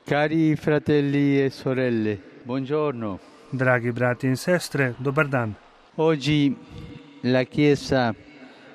Cari fratelli e sorelle, buongiorno. Dragi brati in sestre, dobar dan. Oggi la Chiesa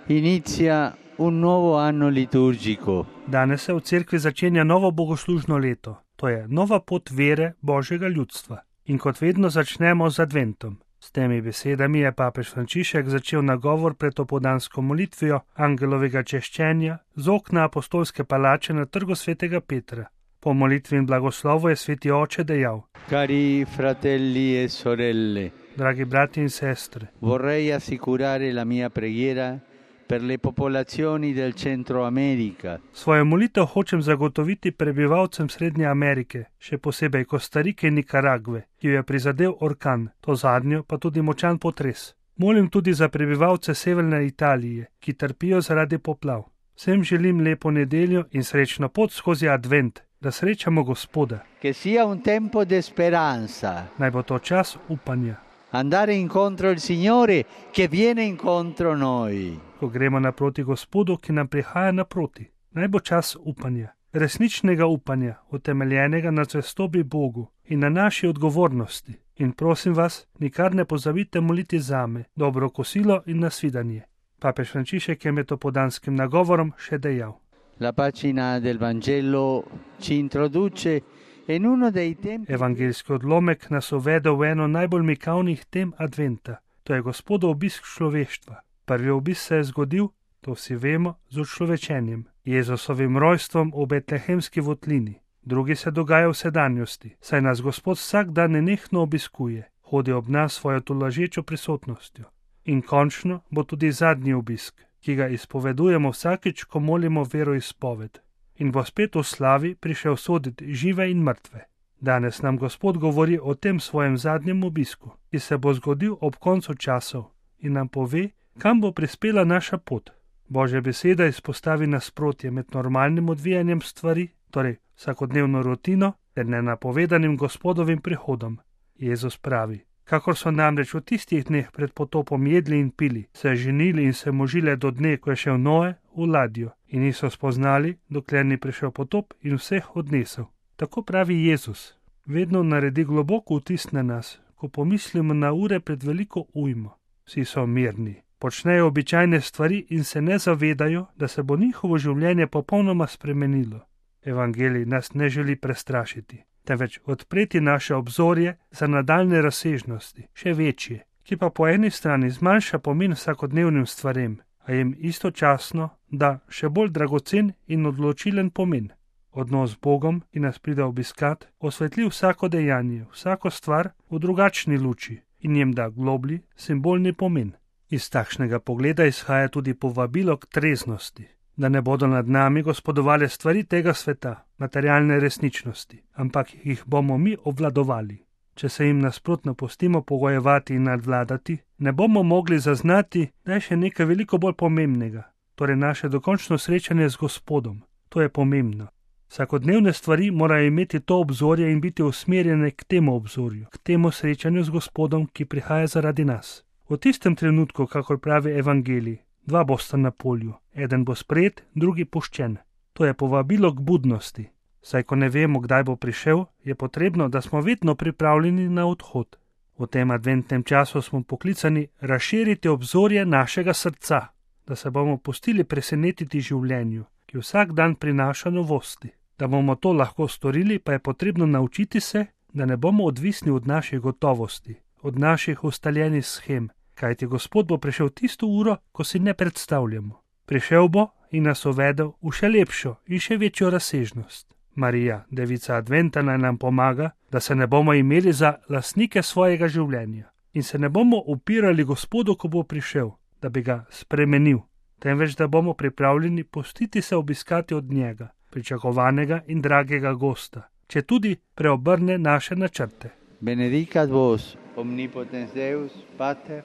inizia un nuovo anno liturgico. Danes se v cerkvi začenja novo bogoslužno leto, to je nova pot vere Božjega ljudstva. In kot vedno začnemo z adventom. S temi besedami je papež Frančišek začel nagovor pred opoldansko molitvijo angelovega češčenja z okna apostolske palače na trgu svetega Petra. Po molitvi in blagoslovu je sveti oče dejal: Cari fratelli e sorelle, dragi brati in sestre, vorrei assicurare la mia preghiera per le popolazioni del Centro America. Svojo molitev hočem zagotoviti prebivalcem Srednje Amerike, še posebej Kostarike in Nikaragve, ki jo je prizadel orkan, to zadnjo pa tudi močan potres. Molim tudi za prebivalce Severne Italije, ki trpijo zaradi poplav. Vsem želim lepo nedeljo in srečno pot skozi advent, da srečamo Gospoda. Che sia un tempo di speranza. Naj bo to čas upanja. Andare incontro il Signore che viene incontro noi. Ko gremo naproti Gospodu, ki nam prihaja naproti. Naj bo čas upanja. Resničnega upanja, utemeljenega na zvestobi Bogu in na naši odgovornosti. In prosim vas, nikar ne pozabite moliti zame, dobro kosilo in nasvidenje. Papež Frančišek je med opoldanskim nagovorom še dejal: La pagina del Vangelo ci introduce in uno dei tempi. Evangeljski odlomek nas uvede v eno najbolj mikavnih tem adventa, to je Gospodov obisk človeštva. Prvi obisk se je zgodil, to vsi vemo, z učlovečenjem, Jezusovim rojstvom v betlehemski votlini. Drugi se dogaja v sedanjosti, saj nas Gospod vsak dan nenehno obiskuje, hodi ob nas svojo tolažečo prisotnostjo. In končno bo tudi zadnji obisk, ki ga izpovedujemo vsakič, ko molimo veroizpoved. In bo spet v slavi prišel soditi žive in mrtve. Danes nam Gospod govori o tem svojem zadnjem obisku, ki se bo zgodil ob koncu časov, in nam pove, kam bo prispela naša pot. Božja beseda izpostavi nasprotje med normalnim odvijanjem stvari, torej vsakodnevno rutino, ter nenapovedanim Gospodovim prihodom. Jezus pravi: kakor so namreč v tistih dneh pred potopom jedli in pili, se ženili in se možile do dne, ko je šel Noe v ladjo, in niso spoznali, dokler ni prišel potop in vseh odnesel. Tako pravi Jezus. Vedno naredi globoko vtis na nas, ko pomislimo na ure pred veliko ujmo. Vsi so mirni, počnejo običajne stvari in se ne zavedajo, da se bo njihovo življenje popolnoma spremenilo. Evangelij nas ne želi prestrašiti, temveč odpreti naše obzorje za nadaljne razsežnosti, še večje, ki pa po eni strani zmanjša pomen vsakodnevnim stvarem, a jim istočasno da še bolj dragocen in odločilen pomen. Odnos z Bogom, ki nas pride obiskat, osvetli vsako dejanje, vsako stvar v drugačni luči in jim da globlji, simbolni pomen. Iz takšnega pogleda izhaja tudi povabilo k treznosti, da ne bodo nad nami gospodovale stvari tega sveta, materialne resničnosti, ampak jih bomo mi obvladovali. Če se jim nasprotno pustimo pogojevati in nadvladati, ne bomo mogli zaznati, da je še nekaj veliko bolj pomembnega, torej naše dokončno srečanje z Gospodom. To je pomembno. Vsakodnevne stvari morajo imeti to obzorje in biti usmerjene k temu obzorju, k temu srečanju z Gospodom, ki prihaja zaradi nas. V tistem trenutku, kakor pravi Evangelij, dva bosta na polju, eden bo sprejet, drugi puščen. To je povabilo k budnosti. Saj ko ne vemo, kdaj bo prišel, je potrebno, da smo vedno pripravljeni na odhod. V tem adventnem času smo poklicani razširiti obzorje našega srca, da se bomo pustili presenetiti življenju, ki vsak dan prinaša novosti. Da bomo to lahko storili, pa je potrebno naučiti se, da ne bomo odvisni od naših gotovosti, od naših ustaljenih shem, kajti Gospod bo prišel tisto uro, ko si ne predstavljamo. Prišel bo in nas uvedel v še lepšo in še večjo razsežnost. Marija, devica adventa, naj nam pomaga, da se ne bomo imeli za lastnike svojega življenja in se ne bomo upirali Gospodu, ko bo prišel, da bi ga spremenil, temveč da bomo pripravljeni pustiti se obiskati od njega, pričakovanega in dragega gosta, če tudi preobrne naše načrte. Benedicat vos, omnipotens Deus, Pater,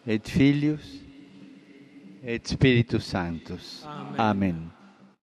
et Filius, et Spiritus Sanctus. Amen.